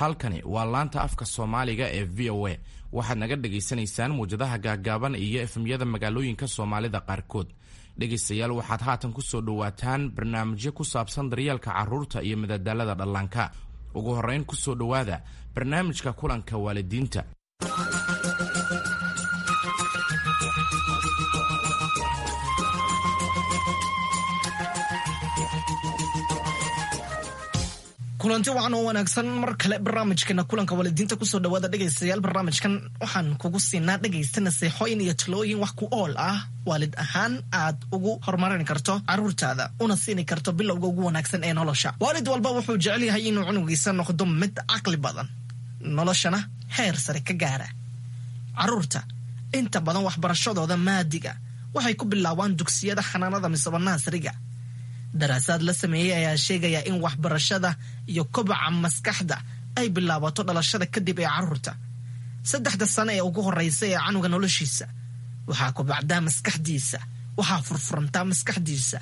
Halkani waa laanta afka Soomaaliga ee VOA. Waxaad naga dhagaysanaysaan muwjadaha gaagaaban iyo FM-yada magaalooyinka Soomaalida qaarkood. Dhegaystayaal, waxaad haatan ku soo dhowaataan barnaamijyo ku saabsan daryeelka carruurta iyo madadaalada dhallaanka. Ugu horrayn, ku soo dhowaada barnaamijka kulanka waalidiinta. Kulanti wacan oo wanaagsan mar kale barnaamijkeena kulanka waalidiinta kusoo dhawaada, dhegaystayaal. Barnaamijkan waxaan kugu siinaa, dhegaysta, naseexooyin iyo talooyin wax ku ool ah, waalid ahaan aad ugu horumarin karto caruurtaada una siini karto bilowga ugu wanaagsan ee nolosha. Waalid walba wuxuu jecel yahay inuu cunugiisa noqdo mid caqli badan, noloshana heer sare ka gaara. Caruurta inta badan waxbarashadooda maadiga waxay ku bilaabaan dugsiyada xanaanada misaba naasriga. Daraasaad la sameeyey ayaa sheegaya in waxbarashada iyo kobaca maskaxda ay bilaabato dhalashada kadib ee caruurta. 3da sano ee ugu horeysa ee canuga noloshiisa waxaa kobacdaa maskaxdiisa, waxaa furfurantaa maskaxdiisa,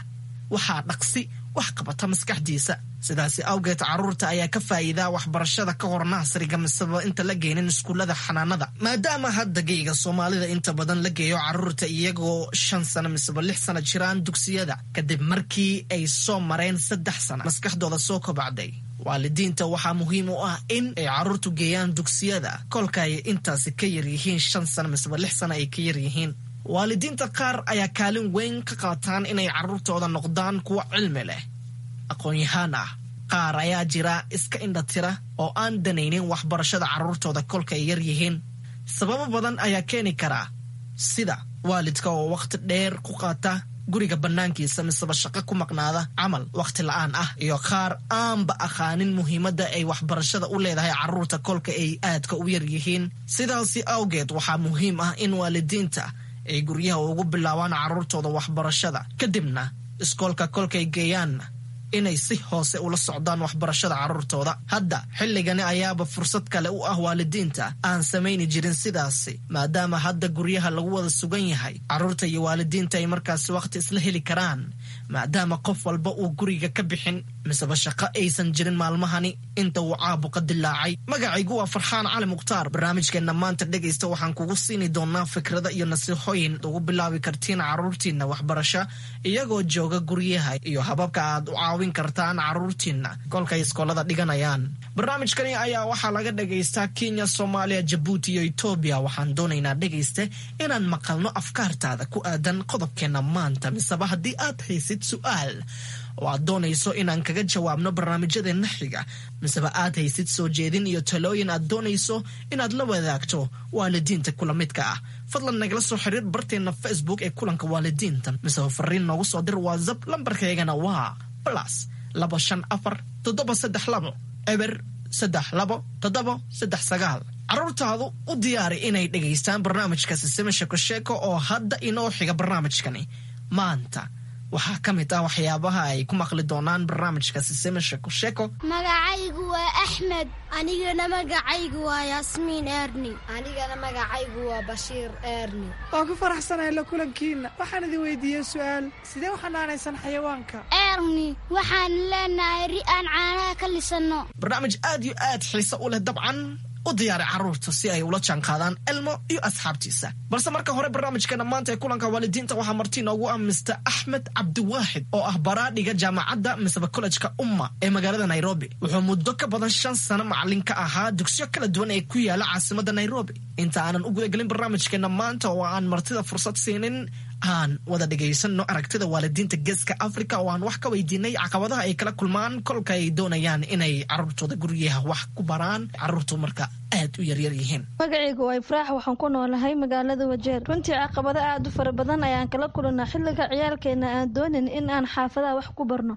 waxaa dhaqsi wax qabata maskaxdiisa. Sidaasi awgeed, caruurta ayaa ka faa'iidaa waxbarashada ka hor naasriga miseba inta la geynin iskuullada xanaanada, maadaama hadda geyga Soomaalida inta badan la geeyo caruurta iyagoo 5 sano miseba 6 sano jiraan dugsiyada, kadib markii ay soo mareen 3 sano maskaxdooda soo kobacday. Waalidiinta waxaa muhiim u ah in ay caruurtu geeyaan dugsiyada kolka ay intaasi ka yaryihiin 5 sano miseba 6 sano ay ka yaryihiin. Waalidiinta qaar ayaa kaalin weyn ka qaataan inay caruurtooda noqdaan kuwo cilmi leh, aqoon-yahaan ah. Qaar ayaa jira iska indhatira oo aan danaynin waxbarashada carruurtooda kolka ay yar yihiin. Sababo badan ayaa keeni karaa, sida waalidka oo wakhti dheer ku qaata guriga bannaankiisa miseba shaqo ku maqnaada camal wakhti la'aan ah, iyo qaar aanba aqaanin muhiimadda ay waxbarashada u leedahay carruurta kolka ay aadka u yar yihiin. Sidaasi awgeed, waxaa muhiim ah in waalidiinta ay guryaha ugu bilaabaan carruurtooda waxbarashada, kadibna iskoolka kolkay geeyaanna inay si hoose ula socdaan waxbarashada carruurtooda. Hadda xilligani ayaaba fursad kale u ah waalidiinta aan samayni jirin sidaasi, maadaama hadda guryaha lagu wada sugan yahay, carruurta iyo waalidiinta ay markaasi wakhti isla heli karaan, maadaama qof walba uu guriga ka bixin miseba shaqo aysan jirin maalmahani inta uu caabuqa dilaacay. Magacaygu waa Farxaan Cali Mukhtaar. Barnaamijkeenna maanta, dhegaysta, waxaan kugu siini doonaa fikrada iyo nasiixooyin ugu bilaabi kartiin carruurtiinna waxbarasho iyagoo jooga guryaha, iyo hababka aad u caawin kartaan carruurtiinna kolkay iskoolada dhiganayaan. Barnaamijkani ayaa waxaa laga dhagaystaa Kenya, Soomaaliya, Jabuuti iyo Etoobiya. Waxaan doonaynaa, dhegayste, inaan maqalno afkaartaada ku aadan qodobkeenna maanta, miseba haddii aad haysid su'aal oo aad doonayso inaan kaga jawaabno barnaamijyadeenna xiga, miseba aad haysid soo jeedin iyo talooyin aad doonayso inaad la wadaagto waalidiinta kula midka ah, fadlan nagala soo xiriir barteenna Facebook ee kulanka waalidiinta, miseba fariin noogu soo dir WhatsApp. Lambarkaygana waa +254 732 032 739. Carruurtaadu u diyaari inay dhegaystaan barnaamijka Sisime Sheeko Sheeko oo hadda inoo xiga. Barnaamijkani maanta waxaa ka mid ah waxyaabaha ay ku maqli doonaan barnaamijka Sisime Sheeko Sheeko. Magacaygu waa Axmed. Anigana magacaygu waa Yaasmiin Erni. Anigana magacaygu waa Bashiir Erni. Waan ku faraxsanahay la kulankiinna. Waxaan idin weydiiyey su'aal: sidee u xanaanaysan xayawaanka? Erni, waxaan leenahay ri aan caanaha ka lisanno. Barnaamij aad iyo aad xiise u leh dabcan. U diyaari carruurta si ay ula jaanqaadaan Elmo iyo asxaabtiisa. Balse marka hore, barnaamijkeena maanta ee kulanka waalidiinta waxaa marti inoogu ah Mister Axmed Cabdiwaaxid oo ah baraadhiga jaamacadda miseba kollejka Umma ee magaalada Nairobi. Wuxuu muddo ka badan 5 sano macalin ka ahaa dugsiyo kala duwan ee ku yaala caasimadda Nairobi. Inta aanan u gudagelin barnaamijkeena maanta oo aan martida fursad siinin, aan wada dhegaysanno aragtida waalidiinta Geeska Africa oo aan wax ka weydiinay caqabadaha ay kala kulmaan kolka ay doonayaan inay carruurtooda guryaha wax ku baraan, carruurtu marka aad u yaryar yihiin. Magacaygu waa Ifraax, waxaan ku noolahay magaalada Wajeer. Runtii caqabado aad u fara badan ayaan kala kulanaa xilliga ciyaalkeena aan doonin in aan xaafadaha wax ku barno.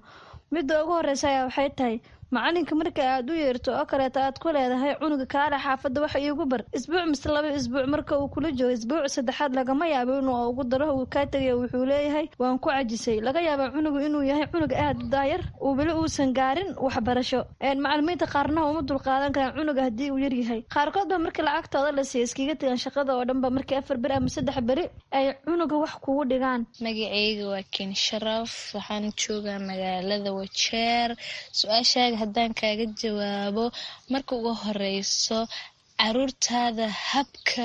Midda ugu horeysa ayaa waxay tahay macalinka marka aad u yeerto oo kaleeta aad ku leedahay cunuga kaale xaafadda wax iigu bar isbuuc mise 2 isbuuc, marka uu kula joogo isbuuc saddexaad lagama yaabo inuu ugu daro, uu kaa tegayo. Wuxuu leeyahay waan ku cajisay. Laga yaabaa cunugu inuu yahay cunug aad u daayar, uu weli uusan gaarin waxbarasho. Macalimiinta qaarna uma dulqaadan karaan cunuga haddii uu yaryahay. Qaarkood ba marka lacagtooda la siiya iskaga tegaan shaqada oo dhanba markii 4 beri ama 3 beri ay cunuga wax kugu dhigaan. Magacayga waa Ken Sharaf, waxaan joogaa magaalada Wajeer. Su-aashaaga Haddaan kaaga jawaabo, marka ugu horeyso caruurtaada habka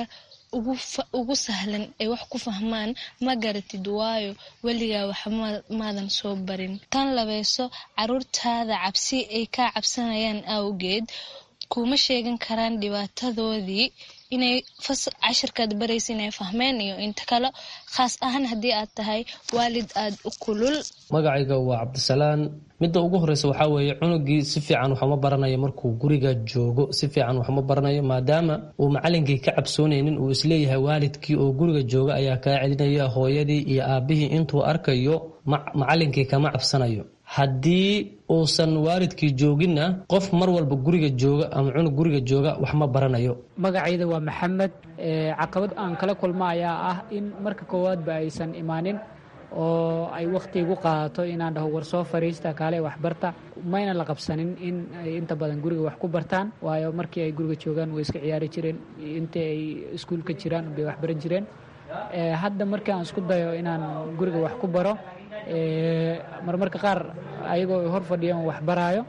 ugu sahlan ay wax ku fahmaan ma garatid, waayo weligaa wax maadan soo barin. Tan labeyso, caruurtaada cabsi ay kaa cabsanayaan awgeed kuma sheegan karaan dhibaatadoodii inay cashirkaad baraysa inay fahmeen iyo inta kale, khaas ahaan haddii aad tahay waalid aada u kulul. Magacayga waa Cabdisalaan. Midda ugu horeysa waxaa weeye, cunugii si fiican waxuma baranayo markuu guriga joogo, si fiican waxuma baranayo, maadaama uu macalinkii ka cabsoonaynin, uu isleeyahay waalidkii oo guriga jooga ayaa kaa celinaya, hooyadii iyo aabihii intuu arkayo macalinkii kama cabsanayo. Haddii uusan waalidkii jooginna, qof mar walba guriga jooga ama cunug guriga jooga wax ma baranayo. Magacayda waa Maxamed. Caqabad aan kala kulma ayaa ah in marka koowaadba aysan imaanin oo ay wakhti igu qaadato inaan dhaho, "War soo fariista, kaale waxbarta." Mayna la qabsanin in ay inta badan guriga wax ku bartaan, waayo markii ay guriga joogaan way iska ciyaari jireen, intii ay iskuulka jiraan bay waxbaran jireen. Hadda markii aan isku dayo inaan guriga wax ku baro, marmarka qaar ayagoo hor fadhiyaan wax baraayo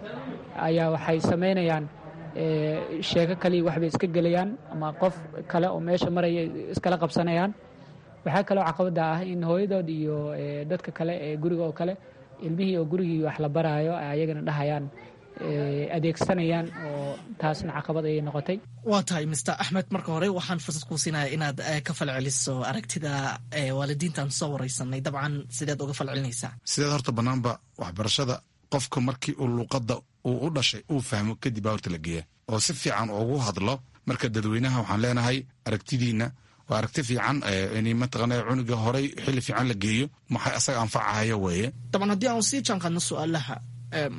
ayaa waxay samaynayaan sheeko kaliya, waxbay iska gelayaan ama qof kale oo meesha maraya iskala qabsanayaan. Waxaa kaloo caqabada ah in hooyadood iyo dadka kale ee guriga oo kale ilmihii oo gurigii wax la baraayo ayagana dhahayaan, adeegsanayaan, oo taasna caqabad ayay noqotay. Waa tahay, Mister Axmed. Marka hore waxaan fursad kuu siinaya inaad ka falceliso aragtida waalidiintaan soo wareysanay. Dabcan, sideed uga falcelinaysaa? Sideed horta banaanba waxbarashada qofka markii uu luuqadda uu u dhashay uu fahmo kadib baa horta la geeya oo si fiican ugu hadlo. Marka dadweynaha waxaan leenahay, aragtidiina waa aragti fiican in mataqaana cunuga horey xilli fiican la geeyo, maxay asaga anfacahayo weeye. Dabcan, haddii aan sii jaanqaadno su-aalaha,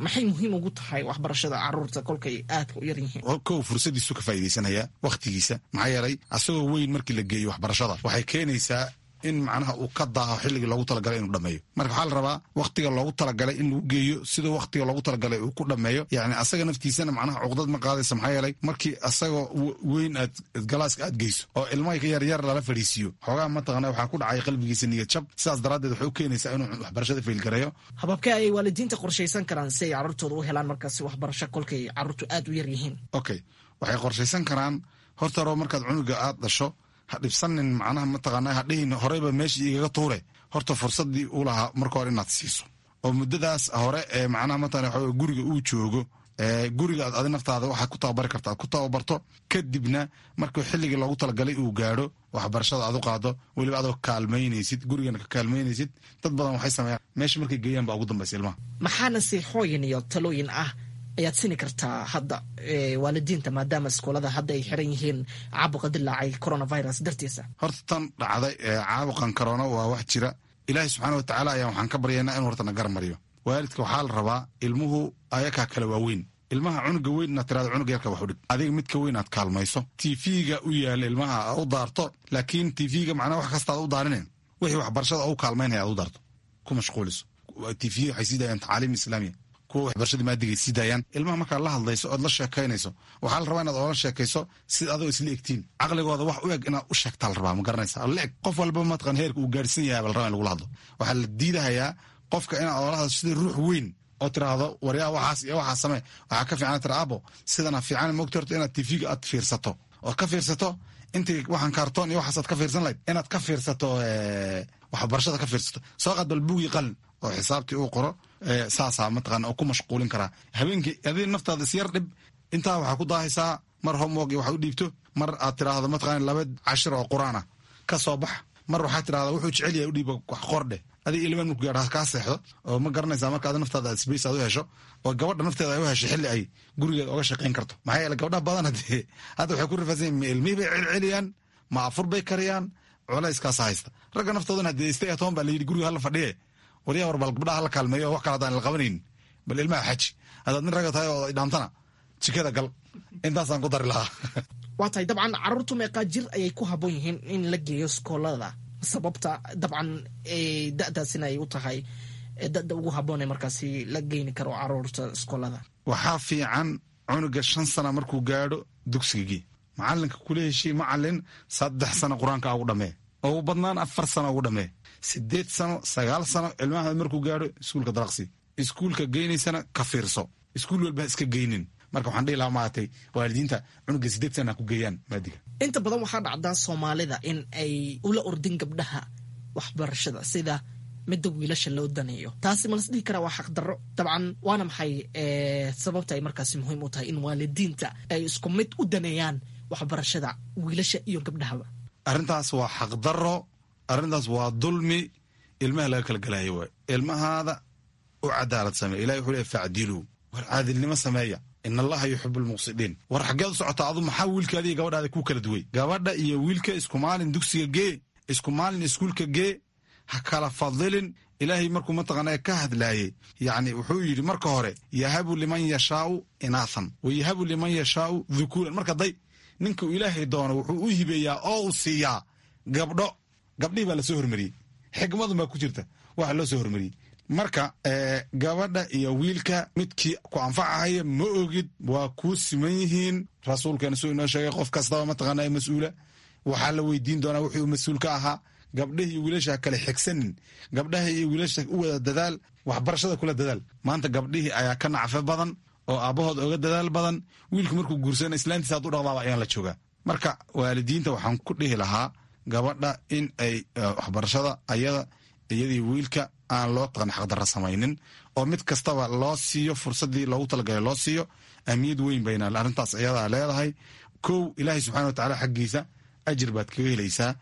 maxay muhiim ugu tahay waxbarashada caruurta kolkay aadka u yar yihiin? Kow, fursadiisu ka faa'iidaysanaya wakhtigiisa, maxaa yeelay asagoo weyn markii la geeyo waxbarashada waxay keenaysaa in macnaha uu ka daaho xilligii loogu talagalay inuu dhameeyo. Marka waxaa la rabaa wakhtiga loogu talagalay in lagu geeyo, siduu wakhtiga loogu talagalay uu ku dhameeyo. Yacni asaga naftiisana macnaha cuqdad ma qaadaysa, maxaa yeelay markii asagoo weyn aad galaaska aad geyso oo ilmaha yaryar lala fadhiisiiyo, xoogaa mataqana waxaa ku dhacay qalbigiisa niyad jab. Sidaas daraaddeed waxay u keenaysaa inuu waxbarashada failgareeyo. Hababkee ayay waalidiinta qorshaysan karaan si ay carruurtooda u helaan markaasi waxbarasho kolkay carruurtu aad u yar yihiin? Okay, waxay qorshaysan karaan horta hore markaad cunuga aad dhasho, ha dhibsanin, macnaha mataqaana ha dhihin horeyba meeshii igaga tuure. Horta fursaddii uu lahaa marka hore inaad siiso oo muddadaas hore ee macnaha mataqana waxa guriga uu joogo, guriga aad adi naftaada waxaad ku tababari karta aad ku tababarto. Kadibna markuu xilligii loogu talagalay uu gaadho, waxbarashada aad u qaado, weliba adoo kaalmaynaysid, gurigana ka kaalmaynaysid. Dad badan waxay sameeyaan, meesha markay geeyaan baa ugu dambaysa ilmaha. Maxaa nasiixooyin iyo talooyin ah ayaad sini kartaa hadda waalidiinta, maadaama iskoolada hadda ay xiran yihiin caabuqa dilaacay coronavirus dartiisa? Horta tan dhacday caabuqan corona waa wax jira. Ilaahay subxaana wa tacaala ayaa waxaan ka baryaynaa inuu horta na garmariyo. Waalidka waxaa la rabaa, ilmuhu ayakaa kala waaweyn, ilmaha cunuga weyn inaad tirahdo cunuga yarka wax u dhig, adiga midka weyn aad kaalmayso, TV-ga u yaala ilmaha u daarto, laakiin TV-ga macnaha wax kasta aad u daarinen, wixii waxbarashada u kaalmaynaya aad u daarto, ku mashquuliso. TV waxay sii daayaan tacaaliim islaamiya, kuwa waxbarashada maadigay sii daayaan. Ilmaha markaad la hadlayso ood la sheekaynayso, waxaa la rabaa inaad oola sheekayso sida adoo isla egtiin, caqligooda wax u eg inaad u sheegtaa la rabaa, ma garanaysa? La eg qof walba mataqan heerka uu gaarsiin yahay baa la rabaa in lagula hadlo. Waxaa la diidahayaa qofka inaad oola hadlo sida ruux weyn oo tiraahdo, "Waryaa, waxaas iyo waxaas samee." Waxaa ka fiican tira, "Abo, sidana fiican mogta." Horta inaad TV-ga aad fiirsato ood ka fiirsato intii waxaan kaartoon iyo waxaas aad ka fiirsan lahayd, inaad ka fiirsato waxbarashada ka fiirsato. Soo qaad bal buugii, qalin oo xisaabtii uu qoro, saasaa mataqaana oo ku mashquulin karaa habeenkii. Adiga naftaada isyar dhib, intaa waxaa ku daahaysaa mar homework iyo waxaad u dhiibto, mar aad tiraahdo mataqaana laba cashir oo qur-aan ah ka soo bax, mar waxaad tirahdaa wuxuu jecel yahay u dhiiba, wax qordheh. Adiga ilmaan marku gaadho kaa seexdo oo ma garanaysaa. Marka adi naftaada aad space aad u hesho oo gabadha nafteeda ay u hesho xilli ay gurigeeda oga shaqayn karto, maxaa yeele gabdhaha badan hadee hadda waxay ku rifaasan yihin, ma ilmihii bay celceliyaan, ma afur bay kariyaan, culayskaasa haysta. Ragga naftoodana hadee stay at home baa la yidhi, guriga hala fadhiye. Waryaa, war bal gabdhaha hala kaalmeeyo, wax kale haddaan la qabanayn bal ilmaha xaji. Haddaad nin ragga tahay oo dhaantana, jikada gal. Intaasaan ku dari lahaa. Waa tahay. Dabcan, carruurtu meeqaa jir ayay ku habboon yihiin in la geeyo iskoolada? Sababta dabcan da'daasina ay u tahay da'da ugu habboon ee markaasi la geyni karo caruurta iskoolada? Waxaa fiican cunuga 5 sana markuu gaadho dugsigii, macalinka kula heshii, macalin, 3 sano qur-aanka ugu dhamee, ugu badnaan 4 sano ugu dhamee. 8 sano, 9 sano ilmaha markuu gaadho, iskuulka dalaqsi. Iskuulka geynaysana ka fiirso. Iskuul walba ha iska geynin. Marka waxaan dhihi lahaa maaragtay waalidiinta cunuga 8 sana ha ku geeyaan maadiga. Inta badan waxaa dhacdaa Soomaalida in ay ula ordin gabdhaha waxbarashada sida midda wiilasha loo daneeyo. Taasi ma las dhihi karaa waa xaqdarro? Dabcan waana maxay sababta ay markaasi muhiim u tahay in waalidiinta ay isku mid u daneeyaan waxbarashada wiilasha iyo gabdhahaba? Arrintaas waa xaqdarro, arrintaas waa dulmi ilmaha laga kala galayo waay. Ilmahaada u cadaalad sameeya. Ilahi wuxuu leeyahy facdiluu, war caadilnimo sameeya, in allaha yuxibu almuqsidiin. War xaggeed u socotaa adu? Maxaa wiilkaada iyo gabadhaada kuu kala duway? Gabadha iyo wiilka isku maalin dugsiga gee, isku maalin iskuulka gee, ha kala fadilin. Ilaahay markuu mataqaanaa ka hadlaayey, yacni wuxuu yidhi marka hore yahabu liman yashaau inaathan wa yahabu liman yashaau dhukuuran. Marka day ninka uu ilaahay doono wuxuu u hibeeyaa oo uu siiyaa gabdho. Gabdhihii baa lasoo hormariyey, xikmadun baa ku jirta waxa loo soo hormariyey. Marka gabadha iyo wiilka midkii ku anfacahaya ma ogid, waa kuu siman yihiin. Rasuulkeena suu inoo sheegay, qof kastaba mataqaanaa mas-uula waxaa la weydiin doonaa wixii uu mas-uul ka ahaa. Gabdhaha iyo wiilasha ha kale xigsanin, gabdhaha iyo wiilasha u wada dadaal, waxbarashada kula dadaal. Maanta gabdhihii ayaa ka nacfo badan oo aabbahood oga dadaal badan. Wiilku markuu guursana islaantiisa hadduu dhaqdaaba ayaan la joogaa. Marka waalidiinta waxaan ku dhihi lahaa gabadha in ay waxbarashada ayada iyadii wiilka aan loo taqan xaqdarra samaynin, oo mid kastaba loo siiyo fursaddii loogu talagalay loo siiyo. Ahmiyad weyn bayna arrintaas iyadaa leedahay. Kow, ilaahay subxana wa tacaala xaggiisa ajir baad kaga helaysaa.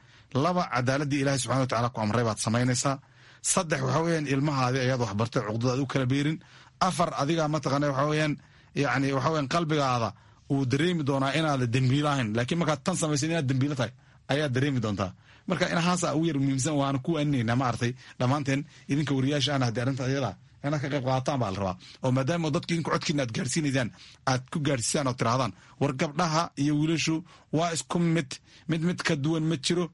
Laba, cadaaladii ilaahay subxana wa tacala ku amray baad samaynaysaa. Saddex, waxa weeyaan ilmahaadi ayaad waxbartay cuqdada aad u kala beerin. Afar, adigaa mataqaana waxa weeyaan yacni waxa weeyaan qalbigaada uu dareemi doonaa inaada dembiilo ahayn, laakiin markaad tan samaysan inaad dembiilo tahay ayaad dareemi doontaa. Marka inahaasa ugu yar muhiimsan, waana ku waaninaynaa maaragtay dhammaanteen idinka wariyaasha ana haddii arrinta iyada inaad ka qayb qaadataan baa la rabaa, oo maadaama dadka idinku codkiina aad gaarsiinaysaan aad ku gaarsiisaan oo tirahdaan war gabdhaha iyo wiilashu waa isku mid, mid mid ka duwan ma jiro.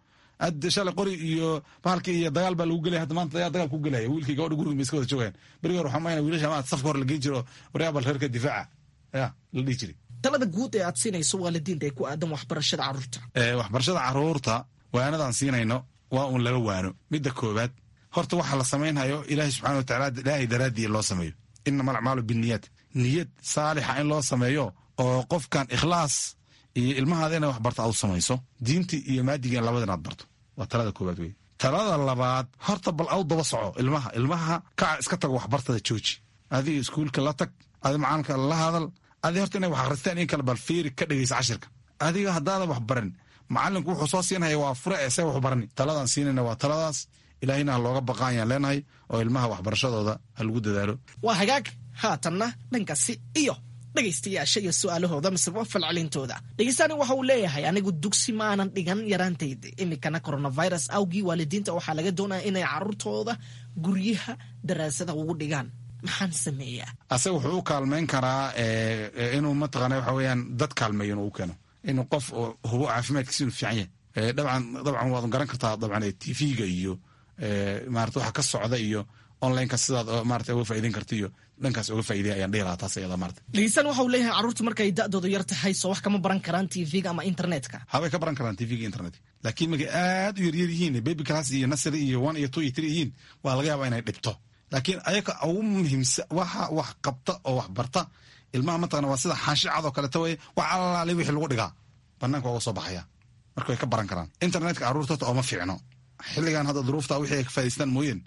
Shalay qori iyo bahalki iyo dagaal baa lagu gelaya, hadda maanta dagaal ku gelaya wiilkii gabadha guriga ma iska wada joogayaan. Berigi hore waxaa mayna wiilasha ma safka hore la geyn jiro, waryaa bal reerka difaaca ya la dhihi jiray. Talada guud ee aad siinayso waalidiinta ee ku aadan waxbarashada carruurta? Waxbarashada carruurta waanadaan siinayno waa uun laba waano. Midda koowaad, horta waxa la samaynhayo ilaahay subxana watacaala ilaahay daraaddii loo sameeyo, inama alacmaalu binniyaat, niyad saalixa in loo sameeyo oo qofkan ikhlaas iyo ilmahaada inay wax barto aad u samayso, diintii iyo maadiga labada inaad barto, waa talada koowaad wey. Talada labaad, horta bal aw daba soco ilmaha, ilmaha kaca iska tago waxbartada jooji, adiga iskuulka la tag, adi macalinka la hadal, adi horta inay wax akhristaan in kale bal fiiri, ka dhegeysa cashirka. Adiga haddaadan wax barin, macalinku wuxuu soo siinhaya waa fure ee see waxu barani. Taladaan siinayna waa taladaas, ilaahayna ha looga baqaan yaan leenahay, oo ilmaha waxbarashadooda ha lagu dadaalo. Waa hagaag. Haatanna dhankaasi iyo dhegaystayaasha iyo su-aalahooda mise falcelintooda. Dhegeystaani waxa uu leeyahay, anigu dugsi ma aanan dhigan yaraantayda, iminkana coronavirus awgii waalidiinta waxaa laga doonaya inay carruurtooda guryaha daraasada ugu dhigaan, maxaan sameeyaa? Asaga wuxuu u kaalmayn karaa inuu mataqaana waxa weeyaan dad kaalmeeyo inuu u keeno, inuu qof hubo caafimaadkiisa inuu fiican yahay. Dabcan dabcan waad garan kartaa, dabcan TV-ga iyo maarata waxa ka socda iyo onlineka sidaad maarata uga faa'iideyn karta iyo dhankaas uga faa'iideya ayaan dhihi lahaa taas iyada maarata. Dhegeystaan waxa uu leeyahay, carruurtu markay da'doodu yar tahay soo wax kama baran karaan TV-ga ama internetka? Habay ka baran karaan TV-ga internetka, laakiin markay aad u yaryar yihiin, baby class iyo nursery iyo 1 iyo 2 iyo 3 yihiin, waa laga yaabaa inay dhibto. Laakiin ayaga ugu muhiimsan waxa wax qabta oo wax barta ilmaha mataqana waa sida xaashi cad oo kaleeto weye, wax allaale wixii lagu dhigaa banaanka waa uga soo baxaya. Marka way ka baran karaan internetka carruurta horta ooma fiicno xilligan hadda duruufta wixii ay ka faa'idaystaan mooyeen,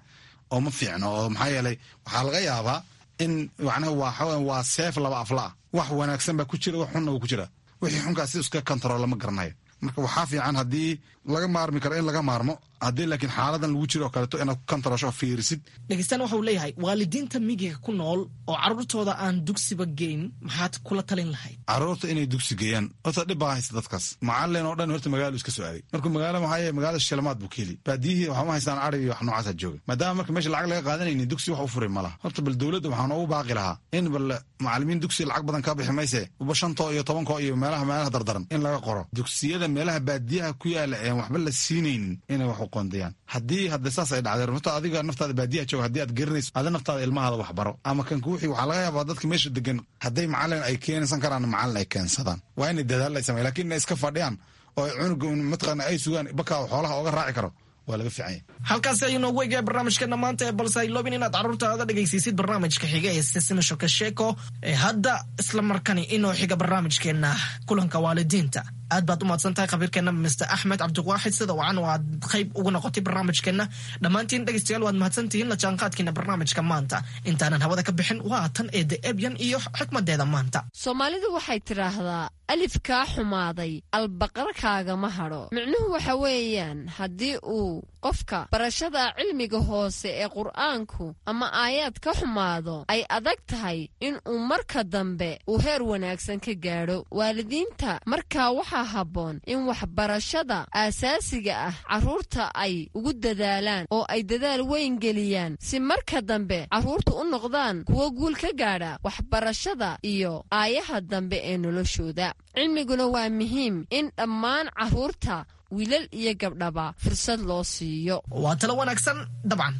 ooma fiicno, oo maxaa yeelay waxaa laga yaabaa in macnaha waa waa seef laba afla ah, wax wanaagsan baa ku jira, wax xunna wuu ku jira, wixii xunkaas si iska kantarool lama garanayo. Marka waxaa fiican haddii laga maarmi karo in laga maarmo, haddii laakiin xaaladan lagu jiro oo kaleeto inaad ku kantaroosho fiirisid. Dhegeystaan waxa uu leeyahay, waalidiinta miyiga ku nool oo carruurtooda aan dugsiba geyn maxaad kula talin lahayd? Carruurta inay dugsi geeyaan horta dhib baa haysta dadkaas. Macalin oo dhan horta magaalo iska soo aaday, markuu magaalo maxaa yeele magaalada shilmaad buu ka heli, baadiyihii waxaa ma haystaan ari iyo wax noocaasa jooga, maadaama marka meesha lacag laga qaadanaynin dugsi wax u furi ma laha. Horta bal dowladda waxaan ugu baaqi lahaa in bal macalimiin dugsi lacag badan kaa bixi mayse uba 5 iyo 10 iyo meelaha meelaha dardaran in laga qoro dugsiyada meelaha baadiyaha ku yaala een waxba la siinaynin inay wax u qoondayaan. Haddii hadda saas ay dhacday, runta adiga naftaada baadiyaha jooga haddii aad garanayso, ada naftaada ilmahaada wax baro ama kan kuwixii waxaa laga yaabaa dadka meesha degan hadday macalin ay keensan karaan macalin ay keensadaan, waa inay dadaal ay sameeyaan, laakiin inay iska fadhiyaan oo ay cunuga mataqaana ay sugaan bakaa xoolaha ooga raaci karo Waa laga fiican yahay. Halkaasi ayuu noogu eegaya barnaamijkeena maanta ee balse hayloobin inaad carruurtaada dhegaysiisid barnaamijka xiga ee Sisimi Shokasheko ee hadda isla markani inoo xiga barnaamijkeena kulanka waalidiinta. Aad baad u mahadsan tahay khabiirkeena Mr Axmed Cabdiwaaxid, sida wacan oo aad qayb ugu noqotay barnaamijkeena. Dhammaantiin dhegaystayaal waad mahadsantihiin la jaanqaadkiina barnaamijka maanta. Intaanan hawada ka bixin, waa tan eede Ebyan iyo xikmadeeda maanta. Soomaalidu waxay tidhaahdaa, alif kaa xumaaday albaqarkaagama hadho. Micnuhu waxa weeyaan, haddii uu qofka barashada cilmiga hoose ee Qur'aanku ama aayaad ka xumaado, ay adag tahay in uu marka dambe uu heer wanaagsan ka gaadho. Waalidiinta markaa waxaa habboon in waxbarashada aasaasiga ah carruurta ay ugu dadaalaan oo ay dadaal weyn geliyaan, si marka dambe carruurtu u noqdaan kuwo guul ka gaadha waxbarashada iyo aayaha dambe ee noloshooda. Cilmiguna waa muhiim in dhammaan carruurta, wiilal iyo gabdhaba, fursad loo siiyo. Waa talo wanaagsan dabcan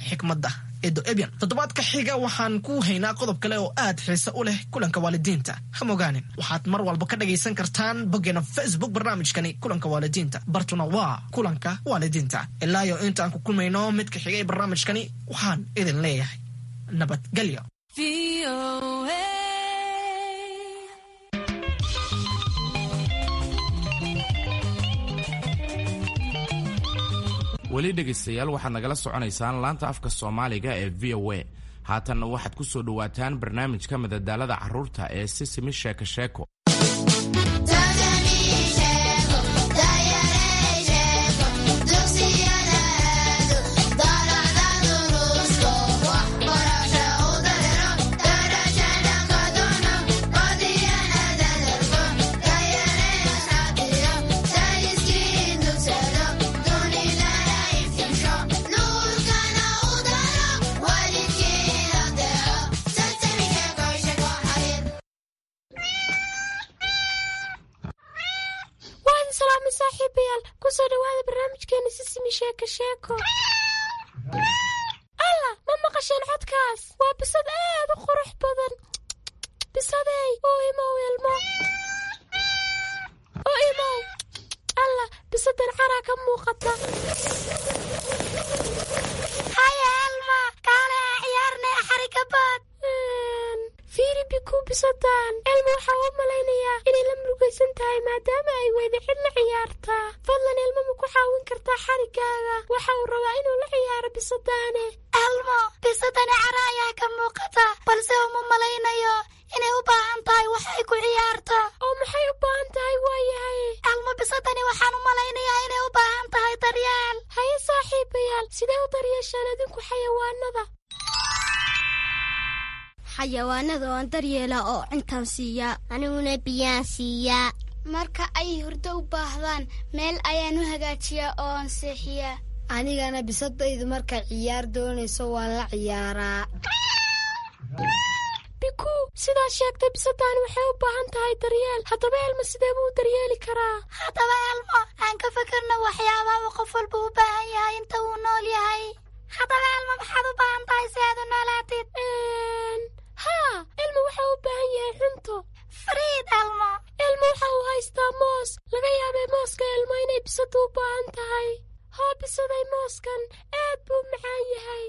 xikmadda Edo Ebyan. Toddobaadka xiga waxaan ku haynaa qodob kale oo aad xiise u leh kulanka waalidiinta. Ha mogaanin, waxaad mar walba ka dhagaysan kartaan boggeena Facebook barnaamijkani kulanka waalidiinta. Bartuna waa kulanka waalidiinta. Ilaa iyo inta aan ku kulmayno midka xiga ee barnaamijkani, waxaan idin leeyahay nabadgelyo. Weli dhegaystayaal, waxaad nagala soconaysaan laanta afka Soomaaliga ee VOA. Haatanna waxaad ku soo dhowaataan barnaamijka madadaalada carruurta ee Sisimi Sheeko Sheeko. Waan salaamay saaxiibayaal, kusoo dhawaada barnaamijkeena Sisimi Sheeko Sheeko. Alla, ma maqasheen codkaas? Waa bisad aad u qurux badan. Bisadey, oo imow ilmo, oo imow. Alla, bisadan caraa ka muuqata. Haya Elma, kaale ciyaarnay xarikabaad. Fiiri Biku, bisadan Elma waxaa u malaynayaa inay la murugaysan tahay maadaama ay weyda cid la ciyaartaa. Fadlan Elma, ma ku caawin kartaa xarigaaga? Waxa uu rabaa inuu la ciyaaro bisadaane. Elmo, bisadani cara ayaa ka muuqata, balse uma malaynayo inay u baahan tahay wax ay ku ciyaarto. Oo maxay u baahan tahay waayahay? Elmo, bisadani waxaan u malaynayaa inay u baahan tahay daryeel. Haye saaxiibayaal, sidee u daryeeshaan adinku xayawaanada? Xayawaanada waan daryeelaa oo cuntaan siiyaa. Aniguna biyaan siiyaa. Marka ay hurdo u baahdaan, meel ayaan u hagaajiyaa oo aan seexiyaa. Anigana bisadaydu markay ciyaar doonayso waan la ciyaaraa. Biku, sidaad sheegtay, bisadaan waxay u baahan tahay daryeel. Haddaba Elma, sidee buu u daryeeli karaa? Haddaba Elmo, aan ka fikirno waxyaabaha uu qof walba u baahan yahay inta uu nool yahay. Haddaba Elmo, maxaad u baahan tahay si aad u noolaatid? Haa, Elmo waxa uu u baahan yahay cunto. Fariid Elmo. Elmo waxa uu haystaa moos. Laga yaabay mooska Elmo inay bisadu u baahan tahay. Hoo bisaday, mooskan aad buu macaan yahay.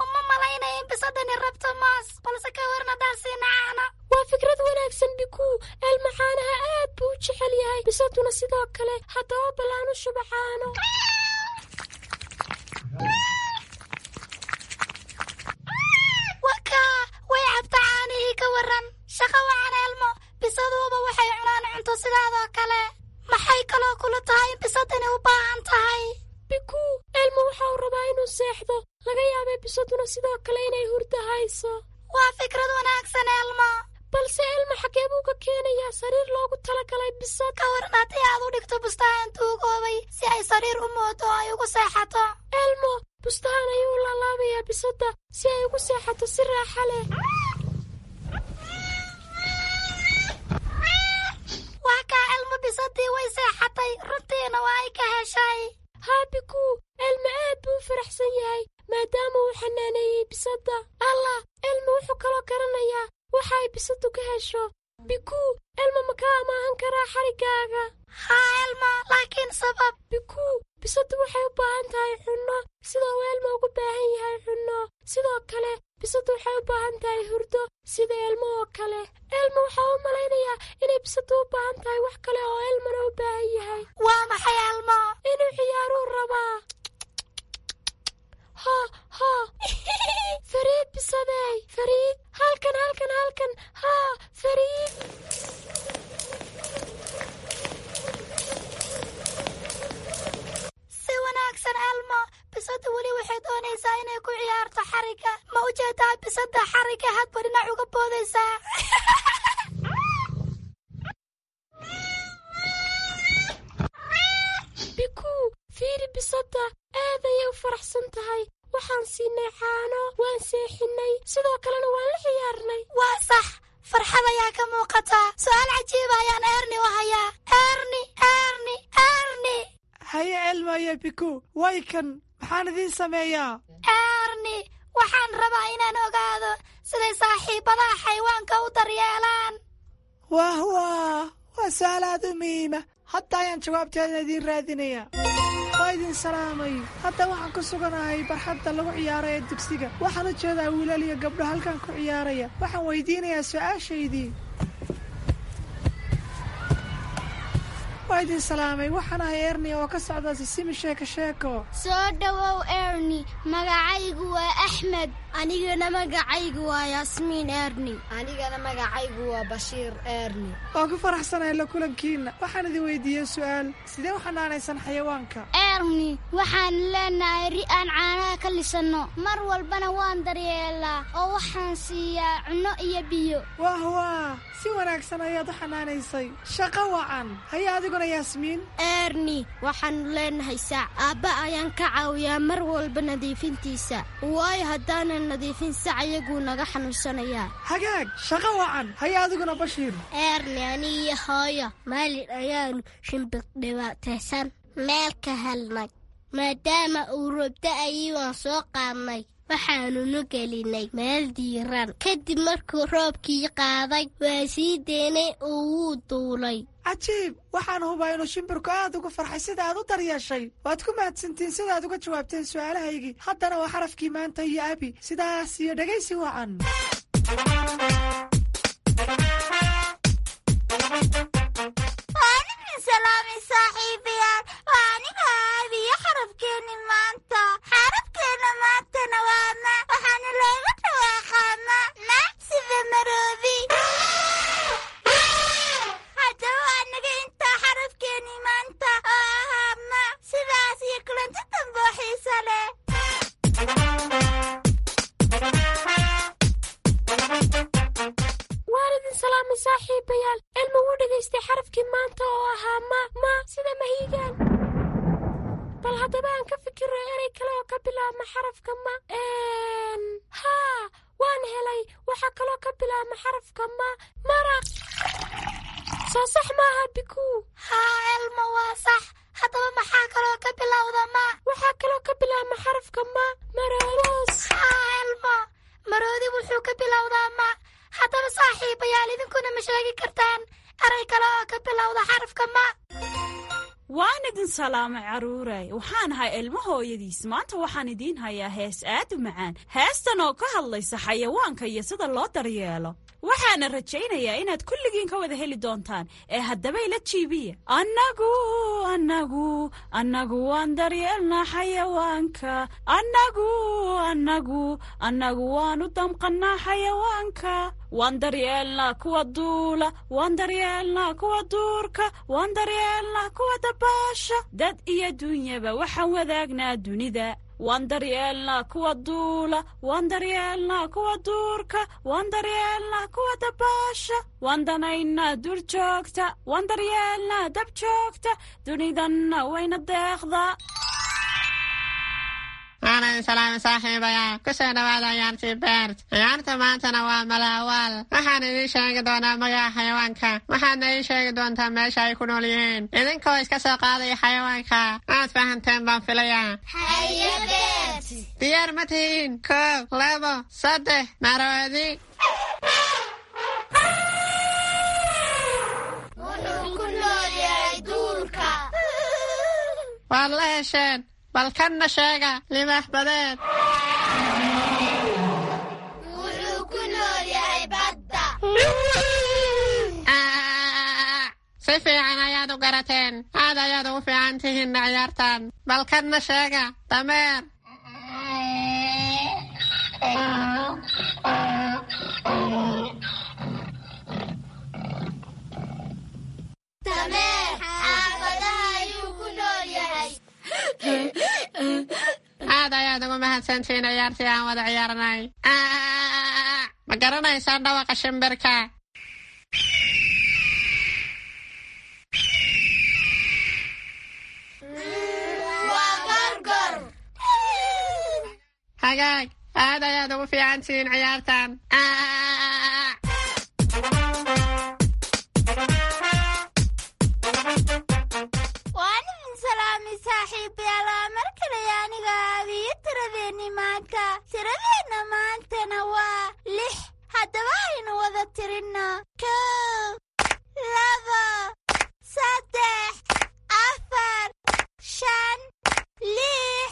Uma malaynaya in bisadani rabto moos, balse ka warna haddaan siina caano? Waa fikrad wanaagsan Biku. Elmo caanaha aad buu u jecel yahay, bisaduna sidoo kale. Haddaba ballaan u shuba caano. Wakaa, way cabta caanihii, ka waran? Shaqo wacan Elmo, bisaduuba waxay cunaan cunto sidaadoo kale. Maxay kaloo kula tahay in bisadani u baahan tahay? Biku, Elmo waxa uu rabaa inuu seexdo. Laga yaabay bisaduna sidoo kale inay hurdo hayso. Waa fikrad wanaagsan Elmo. Balse Elmo, xagee buu ka keenayaa sariir loogu talagalay bisad? Ka waran haddii aad u dhigto bustahan tuugoobay si ay sariir u moodo oo ay ugu seexato? Elmo bustahan ayuu u laalaabayaa bisadda si ay ugu seexato si raaxa leh. Waa kaa Elmo, bisadii way seexatay, runtiina waa ay ka heshay. Haa Biku, Elmo aad buu u faraxsan yahay maadaama uu xanaaneeyey bisadda. Allah, Elmo wuxuu kaloo garanayaa waxa ay bisadu ka hesho. Biku, Elmo ma ka amaahan qabsan karaa xariggaaga? Haa Elmo, laakiin sabab. Bikuu, bisaddu waxay u baahan tahay cunno sida uu Elmo ugu baahan yahay cunno. Sidoo kale bisaddu waxay u baahan tahay hurdo sida Elmo oo kale. Elmo waxaa u malaynayaa inay bisaddu u baahan tahay wax kale oo Elmona u baahan yahay. Waa maxay Elmo? Inuu ciyaaruu rabaa. Ha ha, Fariid bisadey, Fariid, halkan halkan halkan, haa Fariid. Si wanaagsan Elmo, bisaddu weli waxay doonaysaa inay ku ciyaarto xarigga. Ma u jeedaa bisadda xarigga hadba dhinac uga boodaysaa? Bikuu, fiiri bisadda, aad ayay u faraxsan tahay. Waxaan siinay caano, waan seexinay, sidoo kalena waan la ciyaarnay. Waa sax, farxad ayaa ka muuqataa. Su'aal cajiiba ayaan Erni u hayaa. Erni, Erni, Erni. Haye Elmo iyo Biku, way kan, maxaan idiin sameeyaa? Erni, waxaan rabaa inaan ogaado siday saaxiibadaha xayawaanka u daryeelaan. Wah wah, waa su'aal aad u muhiima. Hadda ayaan jawaabteeda idiin raadinayaa. Waa idin salaamay. Hadda waxaan ku suganahay barxadda lagu ciyaaro ee dugsiga. Waxaan u jeedaa wiilal iyo gabdho halkan ku ciyaaraya. Waxaan weydiinayaa su'aashaydii. Waa idin salaamay. Waxaan ahay Erni oo ka socda Sisimi Sheeko Sheeko. Soo dhowow Erni, magacaygu waa Axmed. Anigana magacaygu waa Yaasmiin Erni. Anigana magacaygu waa Bashiir Erni. Waan ku faraxsanahay la kulankiina. Waxaan idin weydiiyey su'aal. Sidee u xanaanaysan xayawaanka? Erni, waxaan leenahay ri aan caanaha ka lisanno. Mar walbana waan daryeelaa oo waxaan siiyaa cunno iyo biyo. Wah wah, si wanaagsan ayaad u xanaanaysay. Shaqo wacan. Haye adiguna Yaasmiin. Erni, waxaanu leenahay sac. Aabba ayaan ka caawiyaa mar walba nadiifintiisa. Waayo haddaanan nadiifin sac iyaguu naga xanuunsanayaa. Hagaag, shaqo wacan. Haye adiguna Bashiir. Erni, anigiyo hooyo maalin ayaanu shimbir dhibaataysan meel ka helnay. Maadaama uu roob da'ayay waan soo qaadnay. Waxaanunu gelinay meel diiran. Kadib markuu roobkii qaaday waa sii deynay oo wuu duulay. Cajiib, waxaan hubaa inuu shimbirku aad ugu farxay sida aad u daryeeshay. Waad ku mahadsantiin sida aad uga jawaabteen su'aalahaygii. Haddana waa xarafkii maanta iyo Abi. Sidaas iyo dhegaysi wacan. Waan idin salaamay saaxiibayaal. Waa aniga Abi iyo xarafkeenni maanta. Xarafkeenna maantana waa ma. Waxaana looga dhawaaqaa ma. Ma sida maroodi. Haddaba waa naga intaa xarafkeenni maanta oo ahaa ma. Sidaas iyo kulanti dambe oo xiiso leh. Waan idin salaamay saaxiibayaal. Elmo wuu dhegaystay xarafkii maanta oo ahaa ma, ma sida mahiigaan. Bal haddaba aan ka fikiro erey kale oo ka bilaabma xarafka ma. Haa, waan helay. Waxaa kaloo ka bilaabma xarafka ma, maraq. Soo sax maaha Bikuu? Haa Elmo, waa sax. Haddaba maxaa kaloo ka bilowda ma? Waxaa kaloo ka bilaabma xarafka ma, maroos. Haa Elmo, maroodi wuxuu ka bilowdaa ma. Haddaba saaxiibayaal, idinkuna ma sheegi kartaan eray kale oo ka bilowda xarafka ma? Waan idin salaamay carruuray. Waxaan ahay Elmo hooyadiis. Maanta waxaan idiin hayaa hees aad u macaan. Heestan oo ka hadlaysa xayawaanka iyo sida loo daryeelo. Waxaana rajaynayaa inaad kulligiin ka wada heli doontaan. Ee haddaba ila jiibiya. Annagu, annagu, annagu waan daryeelnaa xayawaanka. Annagu, annagu, annagu waan u damqannaa xayawaanka. Waan daryeelnaa kuwa duula, waan daryeelnaa kuwa duurka, waan daryeelnaa kuwa dabaasha. Dad iyo dunyaba waxaan wadaagnaa dunida. Waan daryeelnaa kuwa duula, waan daryeelnaa kuwa duurka, waan daryeelnaa kuwa dabaasha. Waan danaynaa duur joogta, waan daryeelnaa dab joogta, dunidanna wayna deeqdaa. Waan idin salaamay saaxiibayaal. Ku soo dhawaada ciyaartii Bert. Ciyaarta maantana waa malaawaal. Waxaan idiin sheegi doonaa magaca xayawaanka. Waxaadna ii sheegi doontaa meesha ay ku nool yihiin. Idinkoo iska soo qaadaya xayawaanka. Aad fahanteen baan filayaa. Haye Bert. Diyaar ma tihiin? 1, 2, 3, maroodi. Wuxuu Waad la hesheen. Bal kanna sheega, libaax badeed. Wuxuu ku nool yahay badda. Si fiican ayaad u garateen. Aad ayaad ugu fiican tihiin ciyaartan. Bal kanna sheega, dameer. Dameer xaafadaha ayuu ku nool yahay. Aad ayaad ugu mahadsantihiin ciyaartii aan wada ciyaarnay. Ma garanaysaan dhawaqa shimbirka? Waa gorgor. Hagaag, aad ayaad ugu fiican tihiin ciyaartan. Waan idin salaamay saaxiibayaal. Waa mar kale aniga aabiyo tiradeenni maanta. Tiradeenna maantana waa 6. Haddaba aynu wada tirinno: 1, 2, 3, 4, 5, 6.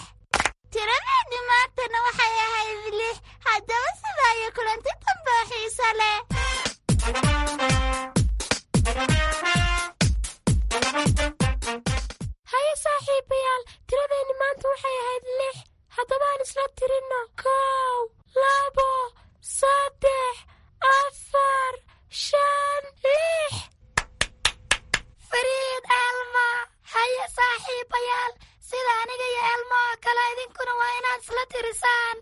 Tiradeenni maantana waxay ahayd 6. Haddaba sidaa iyo kulanti dambe oo xiiso leh. Haye saaxiibayaal, tiradeenni maanta waxay ahayd 6. Haddaba aan isla tirinno: 1, 2, 3, 4, 5, 6. Fariid Elma. Haye saaxiibayaal, sida aniga iyo Elma oo kale idinkuna waa inaad isla tirisaan.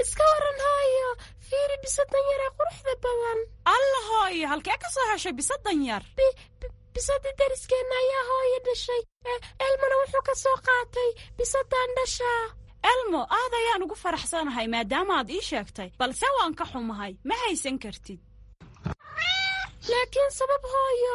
Iska waran hooyo, fiiri bisadan yar ee quruxda badan. Alla hooyo, halkee ka soo heshay bisadan yar? Bisadii dariskeenna ayaa hooyo dhashay. Elmona wuxuu ka soo qaatay bisadan dhashaa. Elmo, aad ayaan ugu faraxsanahay maadaama aad ii sheegtay, balse waan ka xumahay, ma haysan kartid. Laakiin sabab hooyo?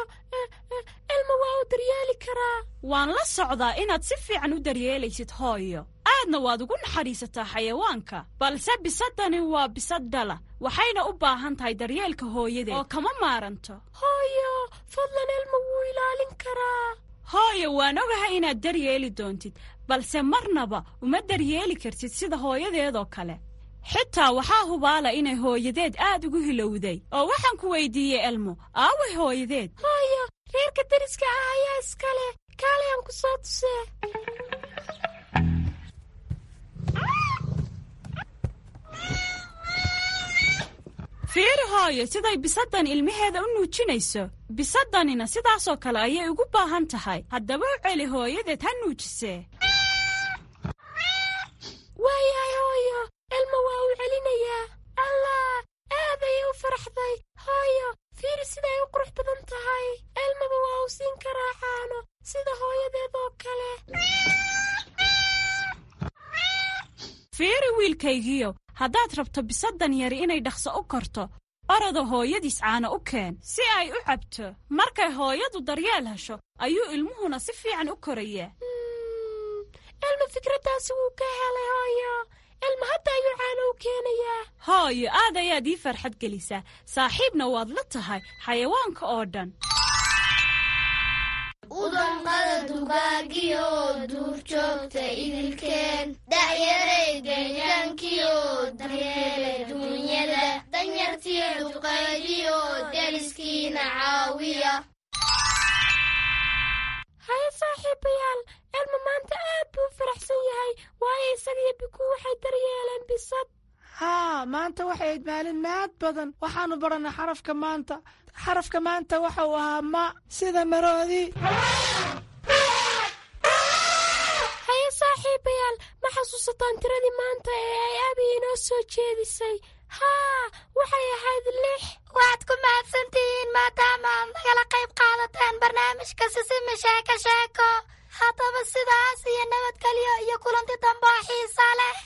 Elmo waa uu daryeeli karaa. Waan la socdaa inaad si fiican u daryeelaysid hooyo, aadna waad ugu naxariisataa xayawaanka, balse bisadani waa bisad dhala, waxayna u baahan tahay daryeelka hooyadeed oo kama maaranto. Hooyo, fadlan, Elmo wuu ilaalin karaa. Hooyo, waan ogahay inaad daryeeli doontid, balse marnaba uma daryeeli kartid sida hooyadeedoo kale. Xitaa waxaa hubaala inay hooyadeed aad ugu hilowday. Oo waxaan ku weydiiyey, Elmo, aaway hooyadeed? Hooyo, reerka dariska ah ayaa iska leh. Kaalay aan ku soo tusee. Fiiri hooyo, siday bisaddan ilmaheeda u nuujinayso. Bisaddanina sidaasoo kale ayay ugu baahan tahay. Haddaba u celi hooyadeed ha nuujisee. Waayahay hooyo, Elmo waa uu celinayaa. Allah, aad ayay u faraxday. Hooyo, fiiri siday u qurux badan tahay. Elmaba waa uu siin karaa caano sida hooyadeed oo kale. Fiiri wiilkaygiyo, haddaad rabto bisaddan yari inay dhaqso u korto, orada hooyadiis caano u keen si ay u cabto. Markay hooyadu daryeel hesho ayuu ilmuhuna si fiican u korayaa. Elmo fikraddaasi wuu ka helay hooyo. Elmo hadda ayuu caano u keenayaa. Hooyo, aad ayaad ii farxad gelisaa, saaxiibna waad la tahay xayawaanka oo dhan. Udanqada dugaagiyo duurjoogta idilkeen, da'yaray deegaankiyo daryeela duunyada, danyartiyo duqaydiyo deriskiina caawiya. Haye saaxiibayaal, Elmo maanta aad buu u faraxsan yahay, waayo isaga iyo Bikuu waxay daryeeleen bisad. Haa, maanta waxay ahayd maalin maad badan. Waxaannu barannay xarafka maanta. Xarafka maanta waxa uu ahaa ma, sida maroodi. Haye saaxiibayaal, ma xasuusataan tiradii maanta ee ay abi inoo soo jeedisay? Haa, waxay ahayd 6. Waad ku mahadsantihiin maadaama aad nagala qayb qaadateen barnaamijka Sisimi Sheeko Sheeko. Haddaba sidaas iyo nabadgelyo iyo kulanti dambe oo xiisa leh.